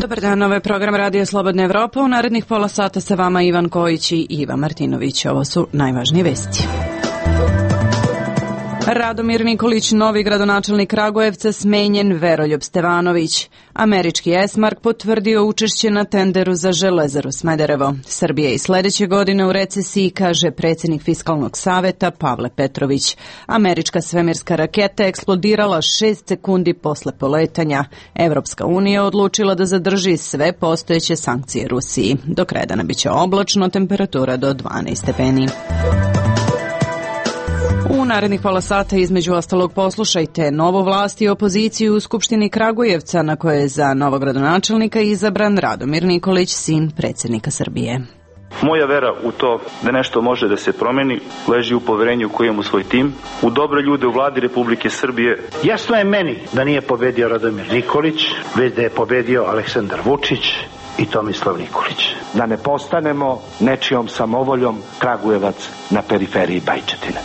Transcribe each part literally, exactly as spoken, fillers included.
Dobar dan, ovo je program Radio Slobodna Evropa. U narednih pola sata sa vama Ivan Kojić i Iva Martinović. Ovo su najvažnije vesti. Radomir Nikolić, novi gradonačelnik Kragujevca, smenjen Veroljub Stevanović. Američki Esmark potvrdio učešće na tenderu za Železaru Smederevo. Srbija i sledeće godine u recesiji, kaže predsjednik Fiskalnog saveta Pavle Petrović. Američka svemirska raketa eksplodirala šest sekundi posle poletanja. Evropska unija odlučila da zadrži sve postojeće sankcije Rusiji. Do kraja dana biće oblačno, temperatura do dvanaest stepeni. U narednih pola sata između ostalog poslušajte novu vlast i opoziciju u Skupštini Kragujevca, na koje je za novog gradonačelnika izabran Radomir Nikolić, sin predsjednika Srbije. Moja vera u to da nešto može da se promeni leži u poverenju koje imam u svoj tim, u dobre ljude u vladi Republike Srbije. Jasno je meni da nije pobedio Radomir Nikolić, već da je pobedio Aleksandar Vučić i Tomislav Nikolić. Da ne postanemo nečijom samovoljom Kragujevac na periferiji Bajčetine.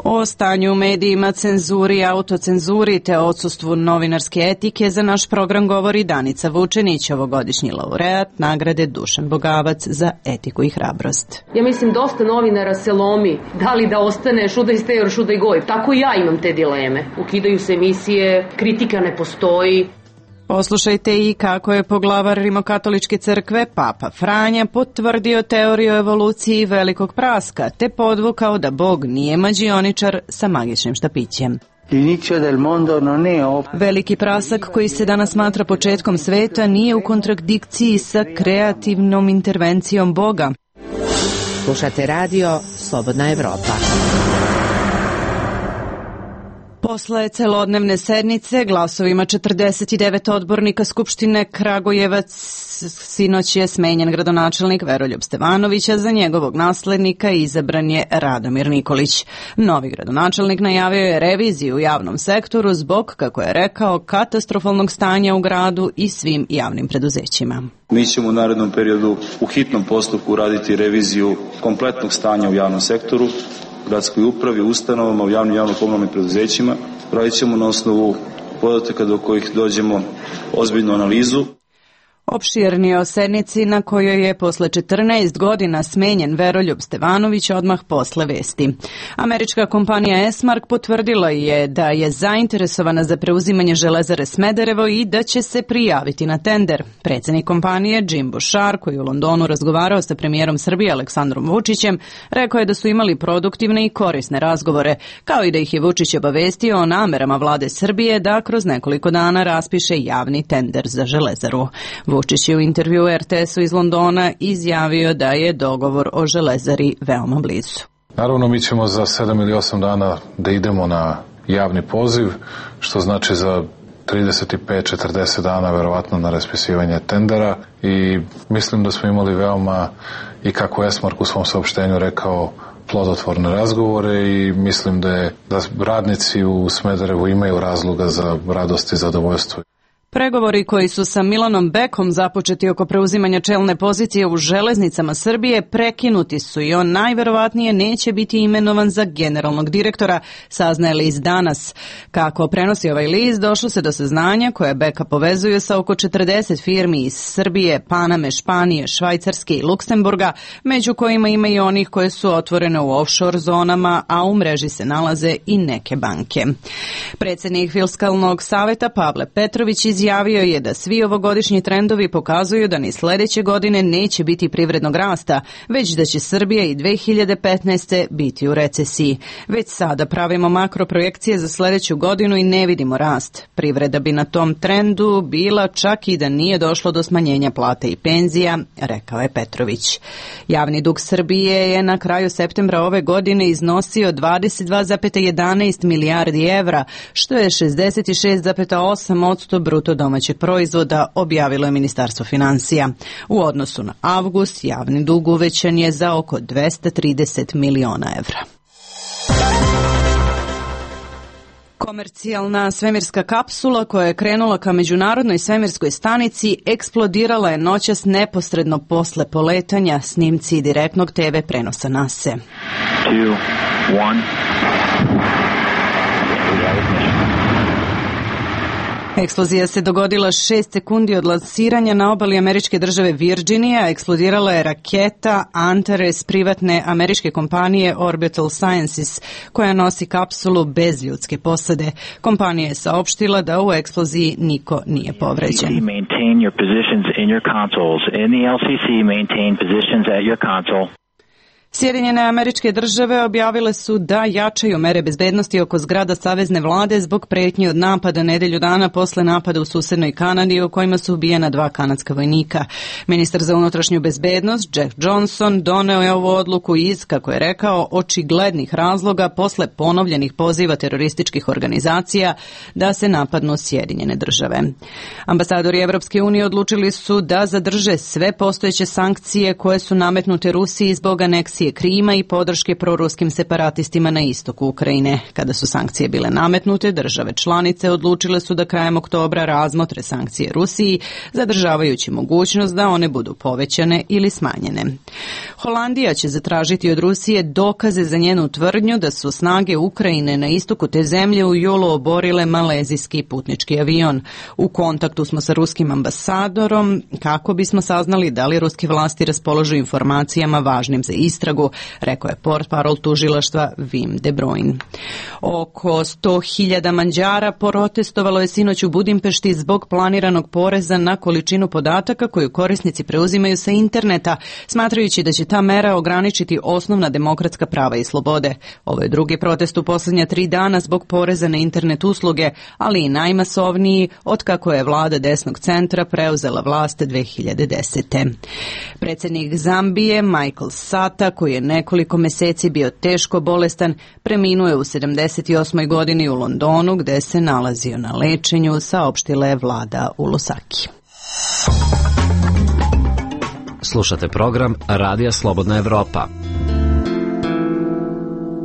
O stanju u medijima, cenzuri, autocenzuri te odsustvu novinarske etike za naš program govori Danica Vučenić, ovogodišnji laureat nagrade Dušan Bogavac za etiku i hrabrost. Ja mislim dosta novinara se lomi, da li da ostane šudaj stejor, šudaj goj. Tako i ja imam te dileme. Ukidaju se emisije, kritika ne postoji. Poslušajte i kako je poglavar Rimokatoličke crkve Papa Franja potvrdio teoriju evoluciji velikog praska te podvukao da Bog nije mađioničar sa magičnim štapićem. Veliki prasak koji se danas smatra početkom sveta nije u kontradikciji sa kreativnom intervencijom Boga. Slušate radio Slobodna Evropa. Posle celodnevne sednice glasovima četrdeset devet odbornika Skupštine Kragujevac sinoć je smenjen gradonačelnik Veroljub Stevanović, a za njegovog naslednika izabran je Radomir Nikolić. Novi gradonačelnik najavio je reviziju u javnom sektoru zbog, kako je rekao, katastrofalnog stanja u gradu i svim javnim preduzećima. Mi ćemo u narednom periodu u hitnom postupku raditi reviziju kompletnog stanja u javnom sektoru, gradskoj upravi, ustanovama, u javnim javno-komunalnim preduzećima. Radit ćemo na osnovu podataka do kojih dođemo ozbiljnu analizu. Opširnije o sednici na kojoj je posle četrnaest godina smenjen Veroljub Stevanović odmah posle vesti. Američka kompanija Esmark potvrdila je da je zainteresovana za preuzimanje Železare Smederevo i da će se prijaviti na tender. Predsjednik kompanije Jim Bouchard, koji u Londonu razgovarao sa premijerom Srbije Aleksandrom Vučićem, rekao je da su imali produktivne i korisne razgovore, kao i da ih je Vučić obavestio o namerama vlade Srbije da kroz nekoliko dana raspiše javni tender za Železaru. Vučić je u intervju er te esu iz Londona izjavio da je dogovor o Železari veoma blizu. Naravno, mi ćemo za sedam ili osam dana da idemo na javni poziv, što znači za trideset pet do četrdeset dana verovatno na raspisivanje tendera i mislim da smo imali veoma, i kako Esmark u svom saopštenju rekao, plodotvorne razgovore i mislim da, je, da radnici u Smederevu imaju razloga za radost i zadovoljstvo. Pregovori koji su sa Milanom Bekom započeti oko preuzimanja čelne pozicije u železnicama Srbije prekinuti su i on najverovatnije neće biti imenovan za generalnog direktora, saznaje list danas. Kako prenosi ovaj list, došlo se do saznanja koje Beka povezuje sa oko četrdeset firmi iz Srbije, Paname, Španije, Švajcarske i Luksemburga, među kojima ima i onih koje su otvorene u offshore zonama, a u mreži se nalaze i neke banke. Predsjednik Fiskalnog saveta Pavle Petrović iz Izjavio je da svi ovogodišnji trendovi pokazuju da ni sledeće godine neće biti privrednog rasta, već da će Srbija i dve hiljade petnaeste. biti u recesiji. Već sada pravimo makroprojekcije za sledeću godinu i ne vidimo rast. Privreda bi na tom trendu bila čak i da nije došlo do smanjenja plata i penzija, rekao je Petrović. Javni dug Srbije je na kraju septembra ove godine iznosio dvadeset dva zarez jedanaest milijardi evra, što je šezdeset šest zarez osam posto bruto domaćeg proizvoda, objavilo je Ministarstvo finansija. U odnosu na avgust, javni dug uvećan je za oko dvesta trideset miliona evra. Komercijalna svemirska kapsula koja je krenula ka međunarodnoj svemirskoj stanici eksplodirala je noćas neposredno posle poletanja, snimci direktnog te ve prenosa nase. two, one Eksplozija se dogodila šest sekundi od lansiranja na obali američke države Virginija. Eksplodirala je raketa Antares privatne američke kompanije Orbital Sciences, koja nosi kapsulu bez ljudske posade. Kompanija je saopštila da u eksploziji niko nije povređen. Sjedinjene Američke Države objavile su da jačaju mere bezbednosti oko zgrada savezne vlade zbog pretnji od napada nedelju dana posle napada u susednoj Kanadi u kojima su ubijena dva kanadska vojnika. Ministar za unutrašnju bezbednost Jack Johnson doneo je ovu odluku iz, kako je rekao, očiglednih razloga posle ponovljenih poziva terorističkih organizacija da se napadnu Sjedinjene Države. Ambasadori Evropske unije odlučili su da zadrže sve postojeće sankcije koje su nametnute Rusiji zbog aneksije Krima i podrške proruskim separatistima na istoku Ukrajine. Kada su sankcije bile nametnute, države članice odlučile su da krajem oktobra razmotre sankcije Rusiji, zadržavajući mogućnost da one budu povećane ili smanjene. Holandija će zatražiti od Rusije dokaze za njenu tvrdnju da su snage Ukrajine na istoku te zemlje u julu oborile malezijski putnički avion. U kontaktu smo sa ruskim ambasadorom kako bismo saznali da li ruske vlasti raspolažu informacijama važnim za istragu, rekao je portparol tužilaštva Wim de Bruyne. Oko sto hiljada Mađara protestovalo je sinoć u Budimpešti zbog planiranog poreza na količinu podataka koju korisnici preuzimaju sa interneta, smatrajući da će ta mera ograničiti osnovna demokratska prava i slobode. Ovo je drugi protest u posljednja tri dana zbog poreza na internet usluge, ali i najmasovniji od kako je vlada desnog centra preuzela vlast dve hiljade desete. Predsjednik Zambije Michael Sata, koji je nekoliko meseci bio teško bolestan, preminuo je u sedamdeset osmoj godini u Londonu, gde se nalazio na lečenju, saopštila je vlada u Lusaki. Slušate program Radija Slobodna Evropa.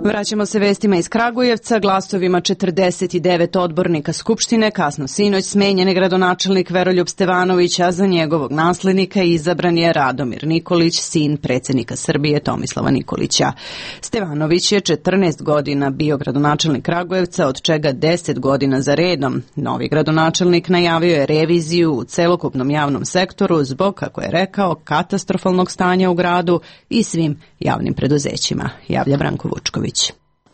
Vraćamo se vestima iz Kragujevca. Glasovima četrdeset devet odbornika Skupštine kasno sinoć smenjen je gradonačelnik Veroljub Stevanović, a za njegovog naslednika izabran je Radomir Nikolić, sin predsjednika Srbije Tomislava Nikolića. Stevanović je četrnaest godina bio gradonačelnik Kragujevca, od čega deset godina za redom. Novi gradonačelnik najavio je reviziju u celokupnom javnom sektoru zbog, kako je rekao, katastrofalnog stanja u gradu i svim javnim preduzećima. Javlja Branko Vučković.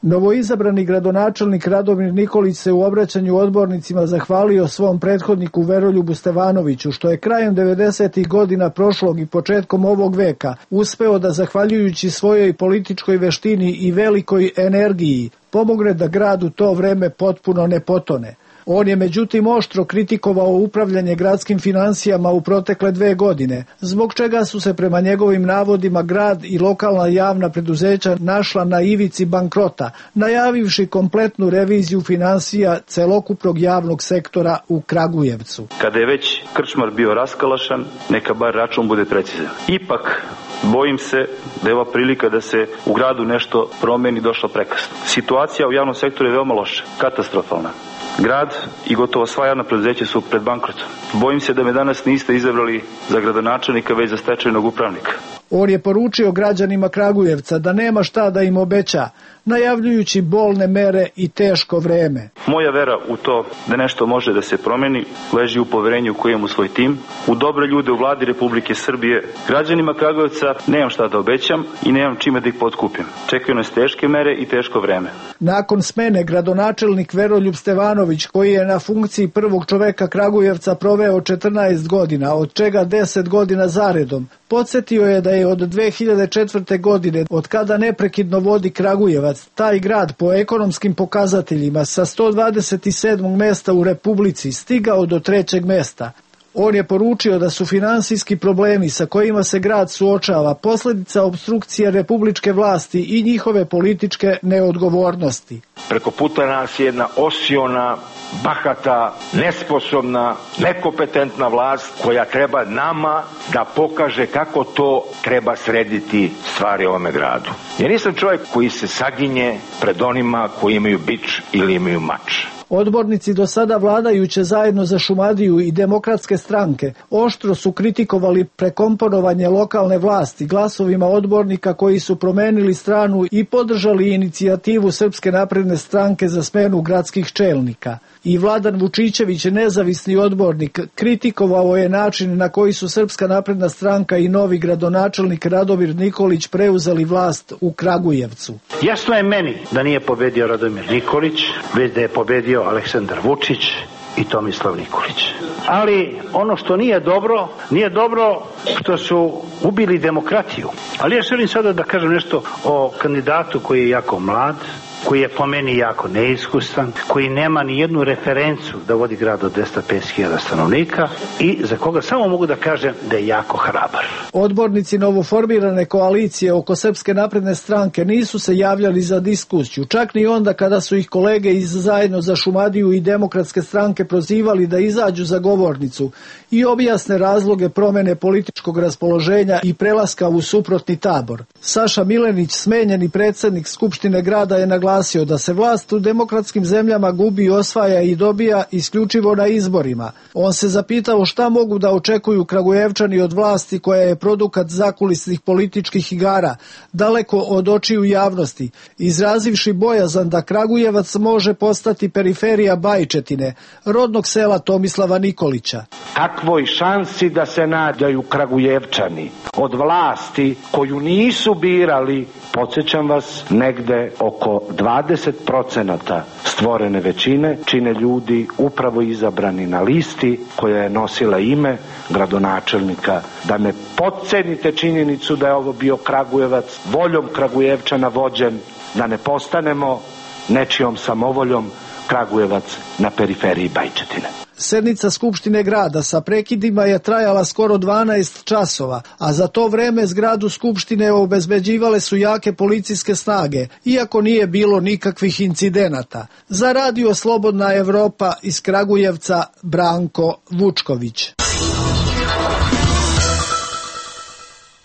Novoizabrani gradonačelnik Radomir Nikolić se u obraćanju odbornicima zahvalio svom prethodniku Veroljubu Stevanoviću, što je krajem devedesetih godina prošlog i početkom ovog veka uspeo da, zahvaljujući svojoj političkoj veštini i velikoj energiji, pomogne da grad u to vreme potpuno ne potone. On je međutim oštro kritikovao upravljanje gradskim finansijama u protekle dve godine, zbog čega su se prema njegovim navodima grad i lokalna javna preduzeća našla na ivici bankrota, najavivši kompletnu reviziju finansija celokupnog javnog sektora u Kragujevcu. Kada je već krčmar bio raskalašan, neka bar račun bude precizan. Ipak, bojim se da je ova prilika da se u gradu nešto promeni došla prekasno. Situacija u javnom sektoru je veoma loša, katastrofalna. Grad i gotovo sva javna preduzeća su pred bankrotom. Bojim se da me danas niste izabrali za gradonačelnika, već za stečajnog upravnika. On je poručio građanima Kragujevca da nema šta da im obeća, najavljujući bolne mere i teško vreme. Moja vera u to da nešto može da se promeni leži u poverenju koje imam u svoj tim, u dobre ljude u vladi Republike Srbije. Građanima Kragujevca nemam šta da obećam i nemam čime da ih potkupim. Čekaju nas teške mere i teško vreme. Nakon smene gradonačelnik Veroljub Stevanović, koji je na funkciji prvog čoveka Kragujevca proveo četrnaest godina, od čega deset godina zaredom, podsjetio je da je od dve hiljade četvrte. godine, od kada neprekidno vodi Kragujevac, taj grad po ekonomskim pokazateljima sa sto dvadeset sedmog mesta u Republici stigao do trećeg mesta. On je poručio da su finansijski problemi sa kojima se grad suočava posljedica opstrukcije republičke vlasti i njihove političke neodgovornosti. Preko puta nas je jedna osiona, bahata, nesposobna, nekompetentna vlast koja treba nama da pokaže kako to treba srediti stvari u ovome gradu. Ja nisam čovjek koji se saginje pred onima koji imaju bič ili imaju mač. Odbornici do sada vladajuće zajedno za Šumadiju i demokratske stranke oštro su kritikovali prekomponovanje lokalne vlasti glasovima odbornika koji su promenili stranu i podržali inicijativu Srpske napredne stranke za smenu gradskih čelnika. I Vladan Vučićević, nezavisni odbornik, kritikovao je način na koji su Srpska napredna stranka i novi gradonačelnik Radomir Nikolić preuzeli vlast u Kragujevcu. Jasno je meni da nije pobedio Radomir Nikolić, već da je pobedio Aleksandar Vučić i Tomislav Nikolić. Ali ono što nije dobro, nije dobro što su ubili demokratiju. Ali ja želim sada da kažem nešto o kandidatu koji je jako mlad, koji je po meni jako neiskusan, koji nema ni jednu referencu da vodi grad od dvesta pedeset hiljada stanovnika i za koga samo mogu da kažem da je jako hrabar. Odbornici novoformirane koalicije oko Srpske napredne stranke nisu se javljali za diskusiju, čak ni onda kada su ih kolege iz Zajedno za Šumadiju i Demokratske stranke prozivali da izađu za govornicu i objasne razloge promene političkog raspoloženja i prelaska u suprotni tabor. Saša Milenić, smenjeni predsednik Skupštine grada, je naglasio da se vlast u demokratskim zemljama gubi, osvaja i dobija isključivo na izborima. On se zapitao šta mogu da očekuju Kragujevčani od vlasti koja je produkat zakulisnih političkih igara, daleko od očiju javnosti, izrazivši bojazan da Kragujevac može postati periferija Bajčetine, rodnog sela Tomislava Nikolića. Kakvoj šansi da se nadaju Kragujevčani od vlasti koju nisu birali, podsjećam vas, negde oko dvadeset procenata stvorene većine čine ljudi upravo izabrani na listi koja je nosila ime gradonačelnika. Da ne potcenite činjenicu da je ovo bio Kragujevac, voljom Kragujevčana vođen, da ne postanemo nečijom samovoljom Kragujevac na periferiji Bajčetine. Sednica Skupštine grada sa prekidima je trajala skoro dvanaest časova, a za to vreme zgradu Skupštine obezbeđivale su jake policijske snage, iako nije bilo nikakvih incidenata. Za Radio Slobodna Evropa iz Kragujevca, Branko Vučković.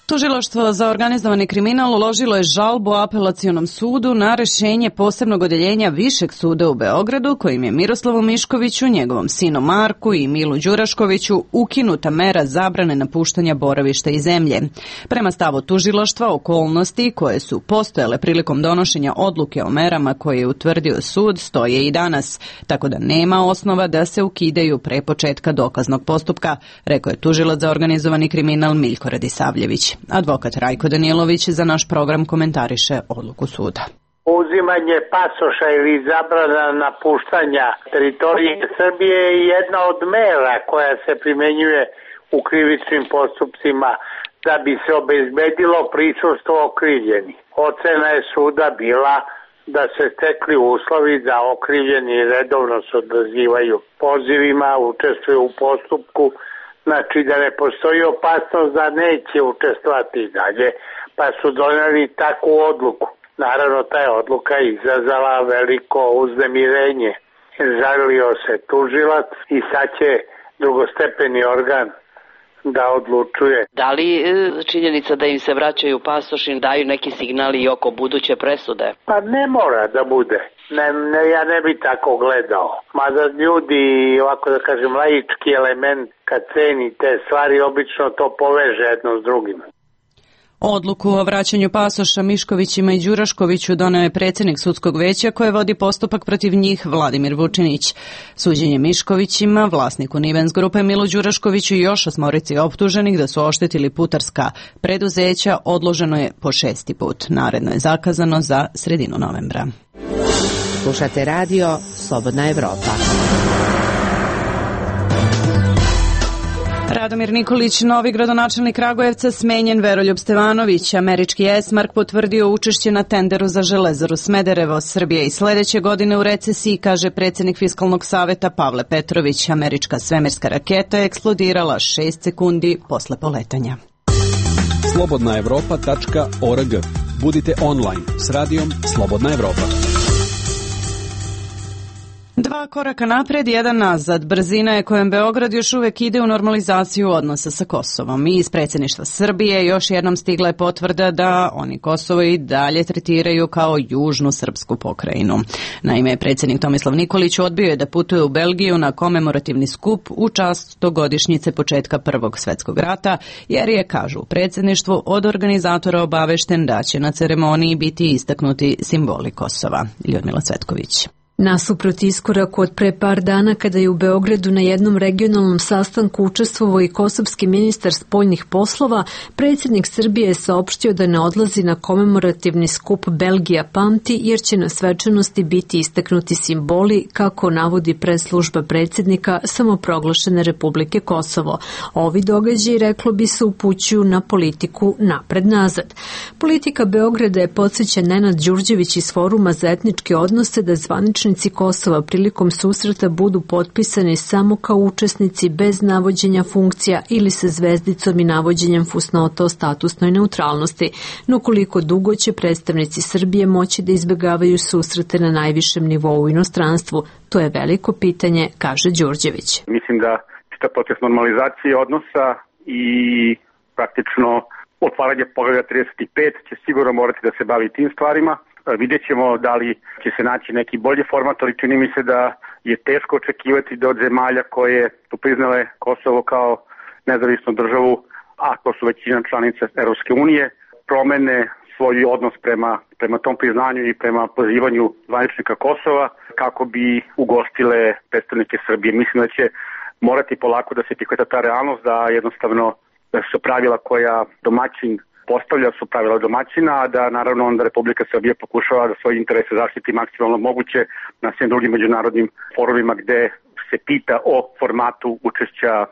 Tužilaštvo za organizovani kriminal uložilo je žalbu Apelacionom sudu na rešenje posebnog odeljenja Višeg suda u Beogradu, kojim je Miroslavu Miškoviću, njegovom sinu Marku i Milu Đuraškoviću ukinuta mera zabrane napuštanja boravišta i zemlje. Prema stavu tužilaštva, okolnosti koje su postojale prilikom donošenja odluke o merama koje je utvrdio sud stoje i danas, tako da nema osnova da se ukidaju pre početka dokaznog postupka, rekao je tužilac za organizovani kriminal Miljko Radisavljević. Advokat Rajko Danilović za naš program komentariše odluku suda. Uzimanje pasoša ili zabrana napuštanja teritorije Srbije je jedna od mera koja se primenjuje u krivičnim postupcima da bi se obezbedilo prisustvo okrivljenih. Ocena je suda bila da se stekli uslovi da okrivljeni redovno se odazivaju pozivima, učestvuju u postupku, znači da ne postoji opasnost da neće učestvovati i dalje, pa su doneli takvu odluku. Naravno, ta je odluka izazvala veliko uznemirenje. Žalio se tužilac i sad će drugostepeni organ da odlučuje. Da li činjenica da im se vraćaju pasoši daju neki signali i oko buduće presude? Pa ne mora da bude. Ne, ne, ja ne bi tako gledao. Mada ljudi, ovako da kažem, laički element, kad ceni te stvari, obično to poveže jedno s drugim. Odluku o vraćanju pasoša Miškovićima i Đuraškoviću doneo je predsjednik sudskog veća koje vodi postupak protiv njih Vladimir Vučinić. Suđenje Miškovićima, vlasniku Nivens grupe Milu Đuraškoviću i još osmorici optuženih da su oštetili putarska preduzeća odloženo je po šesti put. Naredno je zakazano za sredinu novembra. Slušate radio Slobodna Evropa. Radomir Nikolić, novi gradonačelnik Kragujevca, smenjen. Veroljub Stevanović, američki Esmark, potvrdio učešće na tenderu za Železaru Smederevo. Srbija i sledeće godine u recesiji, kaže predsjednik Fiskalnog saveta Pavle Petrović. Američka svemirska raketa je eksplodirala šest sekundi posle poletanja. slobodna evropa tačka org. Budite online s radijom Slobodna Evropa. Dva Dva koraka napred, jedan nazad. Brzina je kojom Beograd još uvek ide u normalizaciju odnosa sa Kosovom. I iz predsjedništva Srbije još jednom stigla je potvrda da oni Kosovo i dalje tretiraju kao južnu srpsku pokrajinu. Naime, predsjednik Tomislav Nikolić odbio je da putuje u Belgiju na komemorativni skup u čast stogodišnjice početka Prvog svjetskog rata, jer je, kažu u predsjedništvu, od organizatora obavešten da će na ceremoniji biti istaknuti simboli Kosova. Ljudmila Cvetković. Nasuprot iskoraku od pre par dana kada je u Beogradu na jednom regionalnom sastanku učestvovao i kosovski ministar spoljnih poslova, predsjednik Srbije je saopštio da ne odlazi na komemorativni skup Belgija pamti jer će na svečanosti biti istaknuti simboli, kako navodi press-služba predsjednika samoproglašene Republike Kosovo. Ovi događaji, reklo bi se, upućuju na politiku napred-nazad. Politika Beograda je, podsjeća Nenad Đurđević iz Foruma za etničke odnose, da zvanični Kosova prilikom susreta budu potpisani samo kao učesnici bez navođenja funkcija ili sa zvezdicom i navođenjem fusnota o statusnoj neutralnosti. No koliko dugo će predstavnici Srbije moći da izbjegavaju susrete na najvišem nivou u inostranstvu? To je veliko pitanje, kaže Đurđević. Mislim da čitav proces normalizacije odnosa i praktično otvaranje poglavlja trideset pet će sigurno morati da se bavi tim stvarima. Vidjet ćemo da li će se naći neki bolji format, ali čini mi se da je teško očekivati da od zemalja koje su priznale Kosovo kao nezavisnu državu, a to su većina članica Europske unije, promene svoj odnos prema, prema tom priznanju i prema pozivanju zvaničnika Kosova kako bi ugostile predstavnike Srbije. Mislim da će morati polako da se prihvata ta realnost, da jednostavno da su pravila koja domaćin postavlja su pravila domaćina, a da naravno onda Republika Srbija pokušava da svoje interese zaštiti maksimalno moguće na svim drugim međunarodnim forumima gde se pita o formatu učešća e,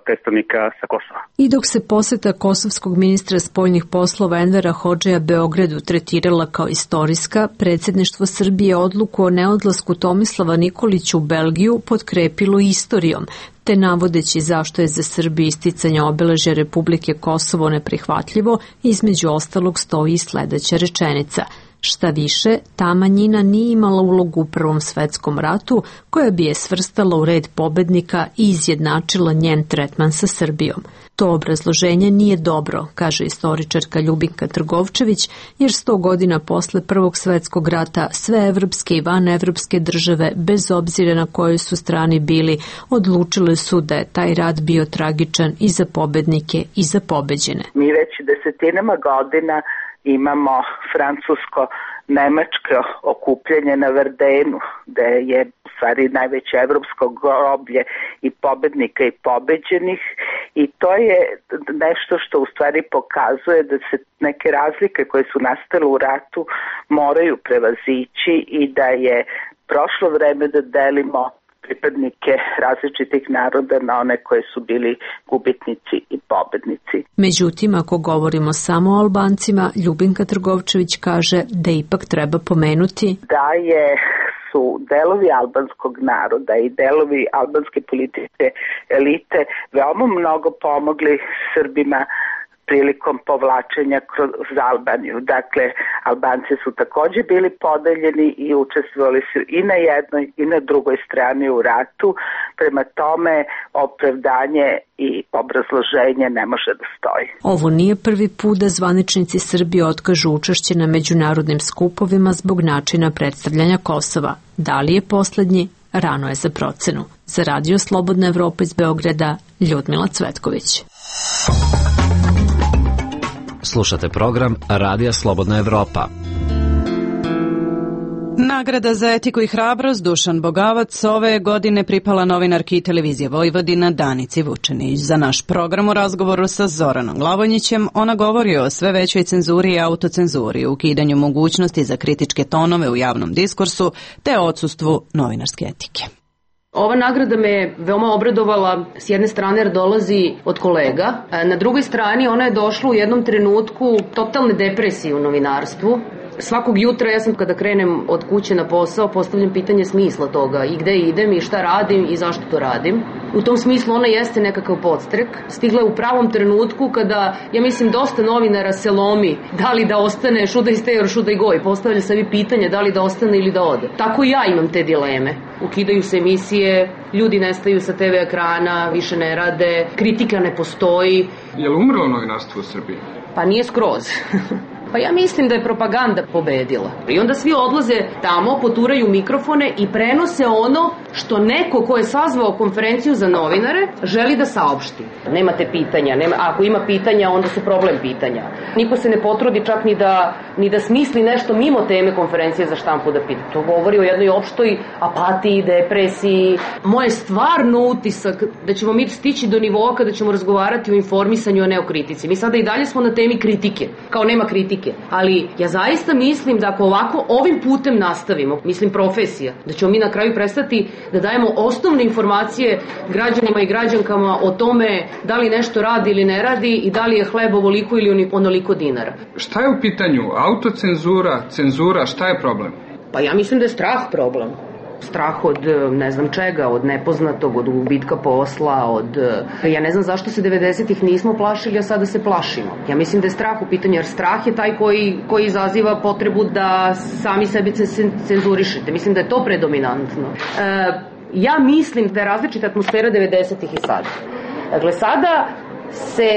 predstavnika sa Kosova. I dok se poseta kosovskog ministra spoljnih poslova Envera Hodžeja Beogradu tretirala kao istorijska, predsjedništvo Srbije odluku o neodlasku Tomislava Nikolića u Belgiju potkrepilo istorijom, te navodeći zašto je za Srbiju isticanje obeležja Republike Kosovo neprihvatljivo, između ostalog stoji sledeća rečenica. Šta više, ta manjina nije imala ulogu u Prvom svetskom ratu, koja bi je svrstala u red pobednika i izjednačila njen tretman sa Srbijom. To obrazloženje nije dobro, kaže istoričarka Ljubinka Trgovčević, jer sto godina posle Prvog svetskog rata sve evropske i vanevropske države, bez obzira na kojoj su strani bili, odlučile su da je taj rat bio tragičan i za pobednike i za pobeđene. Mi već desetinama godina imamo francusko-nemačko okupljanje na Verdenu, gde je u stvari najveće evropsko groblje i pobednika i pobeđenih, i to je nešto što u stvari pokazuje da se neke razlike koje su nastale u ratu moraju prevazići i da je prošlo vreme da delimo pripadnike različitih naroda na one koje su bili gubitnici i pobednici. Međutim, ako govorimo samo o Albancima, Ljubinka Trgovčević kaže da ipak treba pomenuti da je su delovi albanskog naroda i delovi albanske političke elite veoma mnogo pomogli Srbima prilikom povlačenja kroz Albaniju. Dakle, Albanci su također bili podeljeni i učestvovali su i na jednoj i na drugoj strani u ratu. Prema tome, opravdanje i obrazloženje ne može da stoji. Ovo nije prvi put da zvaničnici Srbije otkažu učešće na međunarodnim skupovima zbog načina predstavljanja Kosova. Da li je poslednji? Rano je za procenu. Za Radio Slobodna Evropa iz Beograda, Ljudmila Cvetković. Slušate program Radija Slobodna Evropa. Nagrada za etiku i hrabrost Dušan Bogavac ove godine pripala novinarki i televizije Vojvodina Danici Vučenić. Za naš program u razgovoru sa Zoranom Glavonjićem ona govori o sve većoj cenzuri i autocenzuri, ukidanju mogućnosti za kritičke tonove u javnom diskursu te odsustvu novinarske etike. Ova nagrada me veoma obradovala s jedne strane jer dolazi od kolega, na drugoj strani ona je došla u jednom trenutku totalne depresije u novinarstvu. Svakog jutra ja sam kada krenem od kuće na posao postavljam pitanje smisla toga i gde idem i šta radim i zašto to radim. U tom smislu ona jeste nekakav podstrek. Stigla je u pravom trenutku kada, ja mislim, dosta novinara se lomi da li da ostane should I stay or should I go i postavlja sebi pitanje da li da ostane ili da ode. Tako i ja imam te dileme. Ukidaju se emisije, ljudi nestaju sa te ve ekrana, više ne rade, kritika ne postoji. Je li umrlo novinarstvo u Srbiji? Pa nije skroz. Pa ja mislim da je propaganda pobedila. I onda svi odlaze tamo, poturaju mikrofone i prenose ono što neko ko je sazvao konferenciju za novinare želi da saopšti. Nemate pitanja, nema, ako ima pitanja onda su problem pitanja. Niko se ne potrudi čak ni da, ni da smisli nešto mimo teme konferencije za štampu da pita. To govori o jednoj opštoj apatiji, depresiji. Moj je stvarno utisak da ćemo mi stići do nivoa kada ćemo razgovarati o informisanju, a ne o kritici. Mi sada i dalje smo na temi kritike, kao nema kritike. Ali ja zaista mislim da ako ovako ovim putem nastavimo, mislim profesija, da ćemo mi na kraju prestati da dajemo osnovne informacije građanima i građankama o tome da li nešto radi ili ne radi i da li je hleb ovoliko ili onoliko dinara. Šta je u pitanju? Autocenzura, cenzura, šta je problem? Pa ja mislim da je strah problem. Strah od ne znam čega, od nepoznatog, od gubitka posla, od... Ja ne znam zašto se devedesetih nismo plašili, a sada se plašimo. Ja mislim da je strah u pitanju, jer strah je taj koji, koji izaziva potrebu da sami sebi cenzurišete. Mislim da je to predominantno. E, ja mislim da je različita atmosfera devedesetih i sada. Dakle, sada se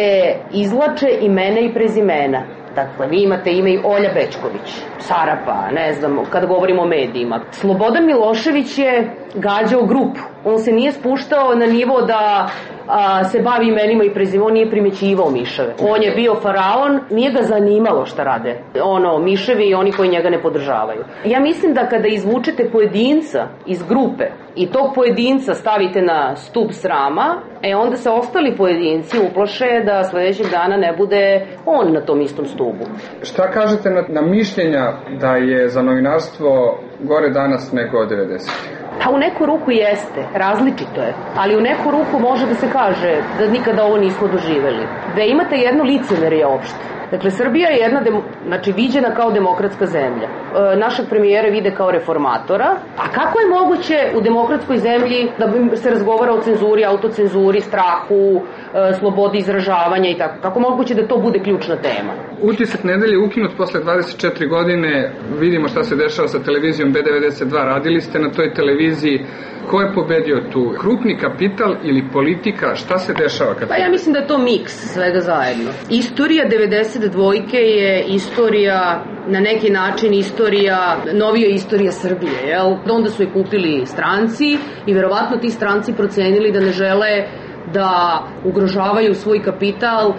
izlače imena i prezimena. Dakle, vi imate ime i Olja Bećković, Sarapa, ne znam, kada govorimo o medijima. Slobodan Milošević je gađao grupu. On se nije spuštao na nivo da a, se bavi imenima i prezimenom, on nije primećivao miševe. On je bio faraon, nije ga zanimalo šta rade. Ono, miševi i oni koji njega ne podržavaju. Ja mislim da kada izvučete pojedinca iz grupe i tog pojedinca stavite na stup srama, e onda se ostali pojedinci uplaše da sledećeg dana ne bude on na tom istom stubu. Šta kažete na, na mišljenja da je za novinarstvo gore danas nego od devedesetih? Pa u neku ruku jeste, različito je, ali u neku ruku može da se kaže da nikada ovo nismo doživeli. Da imate jedno licemerje opšte. Dakle, Srbija je jedna, demo, znači, viđena kao demokratska zemlja. E, našeg premijera vide kao reformatora. A kako je moguće u demokratskoj zemlji da se razgovara o cenzuri, autocenzuri, strahu, e, slobodi izražavanja i tako? Kako moguće da to bude ključna tema? Utisak nedelje je ukinut posle dvadeset četiri godine. Vidimo šta se dešava sa televizijom be devedeset dva. Radili ste na toj televiziji. Ko je pobedio tu? Krupni kapital ili politika? Šta se dešava? Kad... Pa ja mislim da je to miks svega zajedno. Istorija devedeset dvojke je istorija, na neki način istorija, novija istorija Srbije, jel? Onda su je kupili stranci i verovatno ti stranci procenili da ne žele da ugrožavaju svoj kapital e,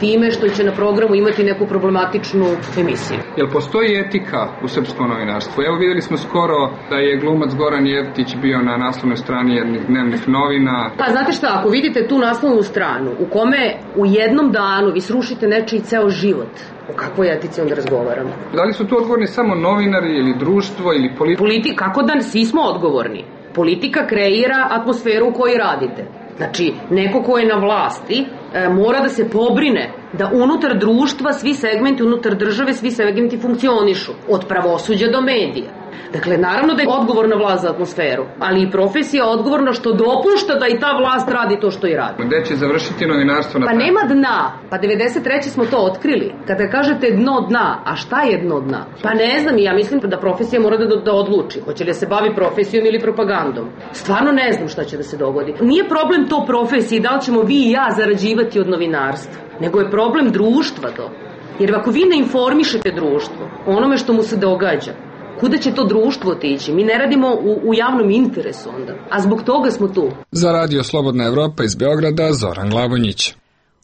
time što će na programu imati neku problematičnu emisiju. Jel postoji etika u srpskom novinarstvu? Evo videli smo skoro da je glumac Goran Jeftić bio na naslovnoj strani jednih dnevnih novina. Pa znate šta, ako vidite tu naslovnu stranu u kome u jednom danu vi srušite nečiji ceo život, o kakvoj etici onda razgovaramo? Da li su tu odgovorni samo novinari ili društvo ili politika? Politika, kako da svi smo odgovorni? Politika kreira atmosferu u kojoj radite. Znači, neko ko je na vlasti e, mora da se pobrine da unutar društva svi segmenti, unutar države svi segmenti funkcionišu, od pravosuđa do medija. Dakle, naravno da je odgovorna vlast za atmosferu, ali i profesija odgovorna što dopušta da i ta vlast radi to što i radi. Gde će završiti novinarstvo na Pa nema dna. Pa devedeset treće smo to otkrili. Kada kažete dno dna, a šta je dno dna? Pa ne znam, ja mislim da profesija mora da, da odluči. Hoće li se bavi profesijom ili propagandom? Stvarno ne znam šta će da se dogodi. Nije problem to profesiji, da li ćemo vi i ja zarađivati od novinarstva, nego je problem društva to. Jer ako vi ne informišete društvo onome što mu se događa, kuda će to društvo otići? Mi ne radimo u, u javnom interesu onda. A zbog toga smo tu. Za Radio Slobodna Evropa iz Beograda, Zoran Glavonjić.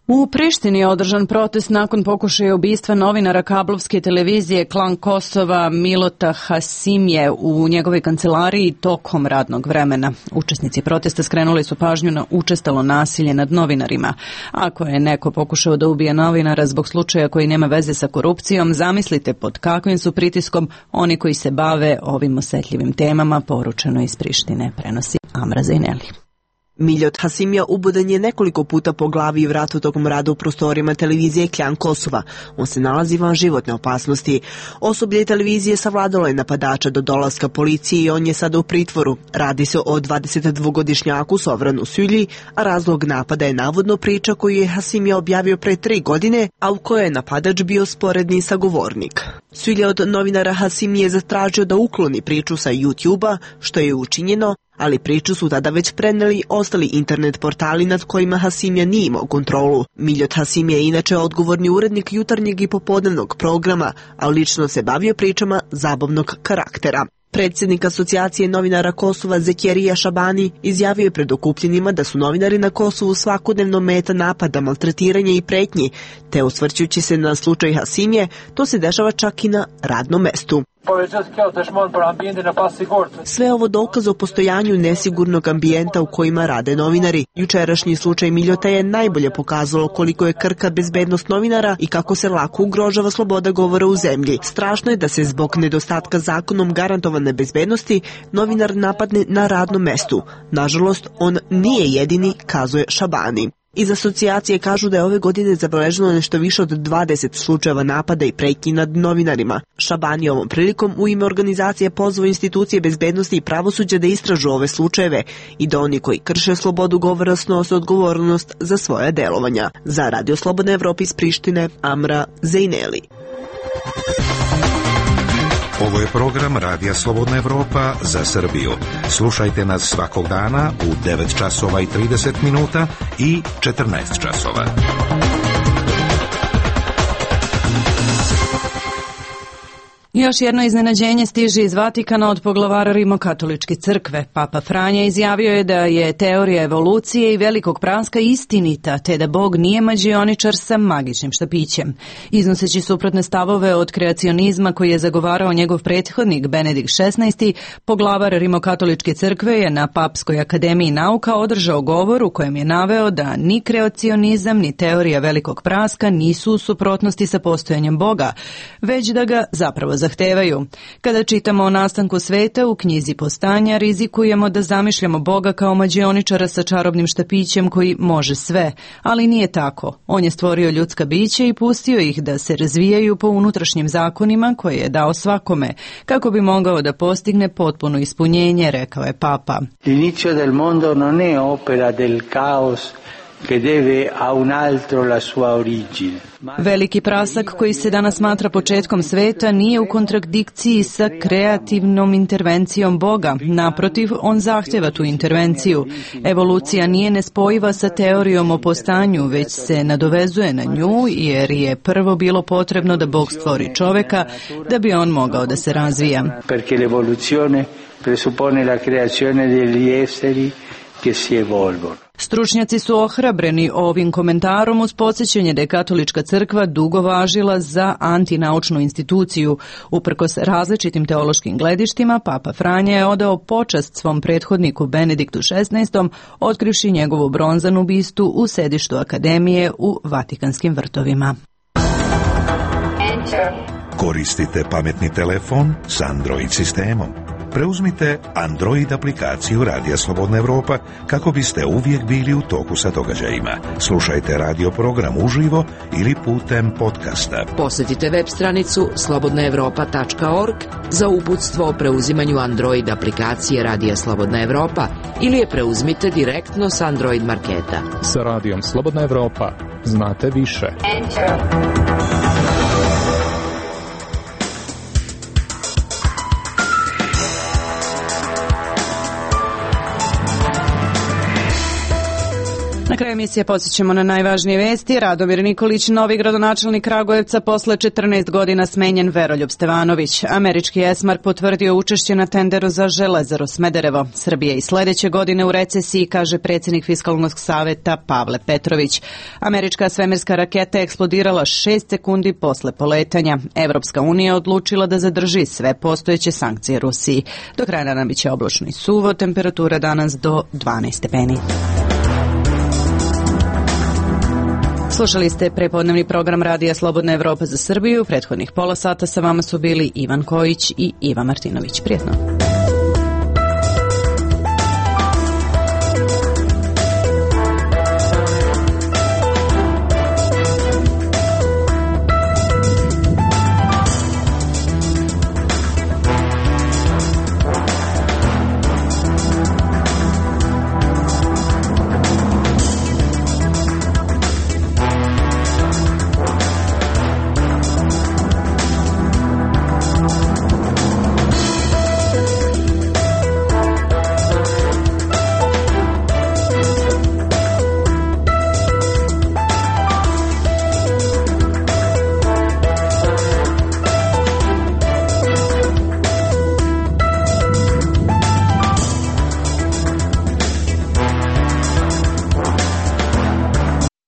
U Prištini je održan protest nakon pokušaja ubistva novinara kablovske televizije Klan Kosova Milota Hasimje u njegovoj kancelariji tokom radnog vremena. Učesnici protesta skrenuli su pažnju na učestalo nasilje nad novinarima. Ako je neko pokušao da ubije novinara zbog slučaja koji nema veze sa korupcijom, zamislite pod kakvim su pritiskom oni koji se bave ovim osetljivim temama, poručeno iz Prištine, prenosi Amra Zaineli. Miljot Hasimija ubodan je nekoliko puta po glavi i vratu tokom rada u prostorima televizije Klan Kosova. On se nalazi van životne opasnosti. Osoblje televizije savladalo je napadača do dolaska policije i on je sada u pritvoru. Radi se o dvadesetdvogodišnjaku Sovranu Sylji, a razlog napada je navodno priča koju je Hasimija objavio pre tri godine, a u kojoj je napadač bio sporedni sagovornik. Sylja od novinara Hasimije zatražio da ukloni priču sa YouTube-a, što je učinjeno, ali priču su tada već preneli ostali internet portali nad kojima Hasimija nije imao kontrolu. Miljot Hasimija je inače odgovorni urednik jutarnjeg i popodnevnog programa, a lično se bavio pričama zabavnog karaktera. Predsjednik asocijacije novinara Kosova Zekjerija Šabani izjavio je pred okupljenima da su novinari na Kosovu svakodnevno meta napada, maltretiranja i pretnji, te osvrćući se na slučaj Hasimije, to se dešava čak i na radnom mestu. Sve ovo dokaz o postojanju nesigurnog ambijenta u kojima rade novinari. Jučerašnji slučaj Miljota je najbolje pokazalo koliko je krka bezbednost novinara i kako se lako ugrožava sloboda govora u zemlji. Strašno je da se zbog nedostatka zakonom garantovane bezbednosti novinar napadne na radnom mestu. Nažalost, on nije jedini, kazuje Šabani. Iz asocijacije kažu da je ove godine zabeleženo nešto više od dvadeset slučajeva napada i pretnji nad novinarima. Šabani ovom prilikom u ime organizacije pozvao institucije bezbednosti i pravosuđa da istražu ove slučajeve i da oni koji krše slobodu govora snose odgovornost za svoje delovanja. Za Radio Slobodna Evropa iz Prištine, Amra Zejneli. Ovo je program Radija Slobodna Evropa za Srbiju. Slušajte nas svakog dana u devet časova i trideset minuta i četrnaest časova. Još jedno iznenađenje stiže iz Vatikana od poglavara Rimokatoličke crkve. Papa Franja izjavio je da je teorija evolucije i velikog praska istinita, te da Bog nije mađioničar sa magičnim štapićem. Iznoseći suprotne stavove od kreacionizma koji je zagovarao njegov prethodnik Benedikt šesnaesti, poglavar Rimokatoličke crkve je na Papskoj akademiji nauka održao govor u kojem je naveo da ni kreacionizam ni teorija velikog praska nisu u suprotnosti sa postojanjem Boga, već da ga zapravo zahtevaju. Kada čitamo o nastanku sveta u knjizi Postanja, rizikujemo da zamišljamo Boga kao mađioničara sa čarobnim štapićem koji može sve, ali nije tako. On je stvorio ljudska bića i pustio ih da se razvijaju po unutrašnjim zakonima koje je dao svakome, kako bi mogao da postigne potpuno ispunjenje, rekao je Papa. L'inizio del mondo non è opera del caos che deve a un altro la sua origine. Veliki prasak koji se danas smatra početkom sveta nije u kontradikciji sa kreativnom intervencijom Boga. Naprotiv, on zahtjeva tu intervenciju. Evolucija nije nespojiva sa teorijom o postanju, već se nadovezuje na nju, jer je prvo bilo potrebno da Bog stvori čoveka da bi on mogao da se razvija. Perché l'evoluzione presuppone la creazione degli esseri che si evolvono. Stručnjaci su ohrabreni ovim komentarom uz podsjećanje da je Katolička crkva dugo važila za antinaučnu instituciju. Uprkos različitim teološkim gledištima, Papa Franja je odao počast svom prethodniku Benediktu šesnaestom, otkrivši njegovu bronzanu bistu u sedištu Akademije u Vatikanskim vrtovima. Koristite pametni telefon s Android sistemom. Preuzmite Android aplikaciju Radija Slobodna Evropa kako biste uvijek bili u toku sa događajima. Slušajte radio program uživo ili putem podcasta. Posjetite web stranicu slobodna evropa tačka org za uputstvo o preuzimanju Android aplikacije Radija Slobodna Evropa ili je preuzmite direktno s Android marketa. Sa Radijom Slobodna Evropa znate više. Na kraju emisije podsjećamo na najvažnije vesti. Radomir Nikolić, novi gradonačelnik Kragujevca, posle četrnaest godina smenjen Veroljub Stevanović. Američki Esmar potvrdio učešće na tenderu za Železaru Smederevo. Srbija i sledeće godine u recesiji, kaže predsjednik Fiskalnog saveta Pavle Petrović. Američka svemirska raketa je eksplodirala šest sekundi posle poletanja. Evropska unija odlučila da zadrži sve postojeće sankcije Rusiji. Do kraja dana biće oblačno i suvo, temperatura danas do dvanaest stepeni. Slušali ste prepodnevni program Radija Slobodna Evropa za Srbiju. Prethodnih pola sata sa vama su bili Ivan Kojić i Iva Martinović. Prijetno.